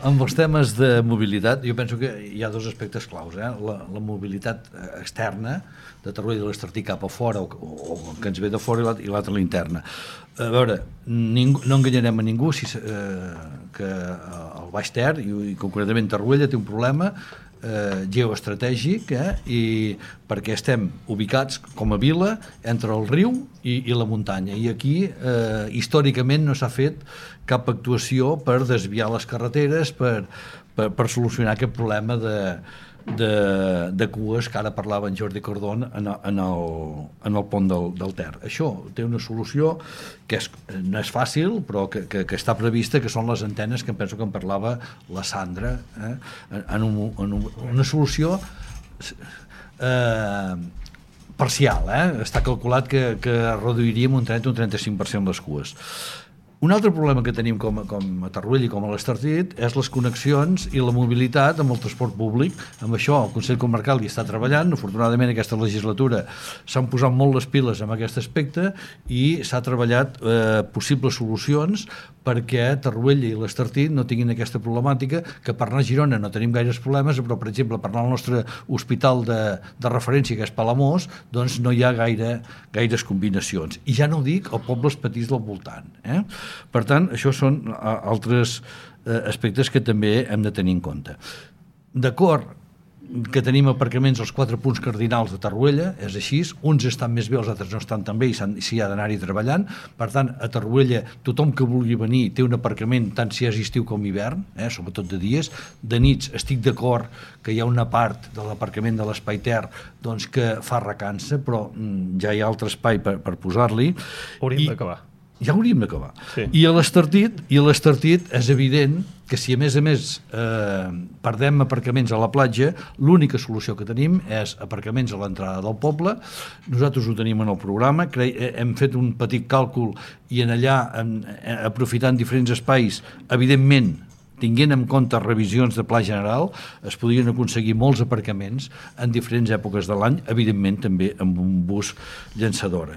Amb els temes de mobilitat, jo penso que hi ha dos aspectes claus. La mobilitat externa, de Torroella de l'Estartit cap a fora, o que ens ve de fora, i l'altra l'interna. A veure, no enganyarem a ningú que el Baix Ter, i concretament Torroella, té un problema geoestratègic, i perquè estem ubicats com a vila entre el riu i la muntanya, i aquí històricament no s'ha fet cap actuació per desviar les carreteres, per solucionar aquest problema de cues que ara parlava en Jordi Cordón en el pont del Ter. Això té una solució que no és fàcil, però que està prevista, que són les antenes que em penso que en parlava la Sandra, en una solució parcial. Està calculat que reduiríem un 30 o un 35% les cues. Un altre problema que tenim com a Torroella i com a l'Estartit és les connexions i la mobilitat amb el transport públic. Amb això el Consell Comarcal hi està treballant. Afortunadament aquesta legislatura s'han posat molt les piles en aquest aspecte i s'ha treballat possibles solucions perquè Torroella i l'Estartit no tinguin aquesta problemàtica, que per anar a Girona no tenim gaires problemes, però per exemple per anar al nostre hospital de referència, que és Palamós, doncs no hi ha gaires combinacions. I ja no ho dic a pobles petits del voltant. Per tant, això són altres aspectes que també hem de tenir en compte. D'acord que tenim aparcaments als 4 punts cardinals de Torroella, és així, uns estan més bé, els altres no estan tan bé i s'hi ha d'anar-hi treballant. Per tant, a Torroella tothom que vulgui venir té un aparcament tant si és estiu com hivern, sobretot de dies. De nits estic d'acord que hi ha una part de l'aparcament de l'Espai Ter doncs, que fa recança, però ja hi ha altre espai per posar-li. Hauríem d'acabar. Ja hauríem d'acabar. Sí. I a l'Estartit és evident que si a més perdem aparcaments a la platja, l'única solució que tenim és aparcaments a l'entrada del poble. Nosaltres ho tenim en el programa, hem fet un petit càlcul i en allà, aprofitant diferents espais, evidentment, tinguent en compte revisions de pla general, es podrien aconseguir molts aparcaments en diferents èpoques de l'any, evidentment també amb un bus llançadora.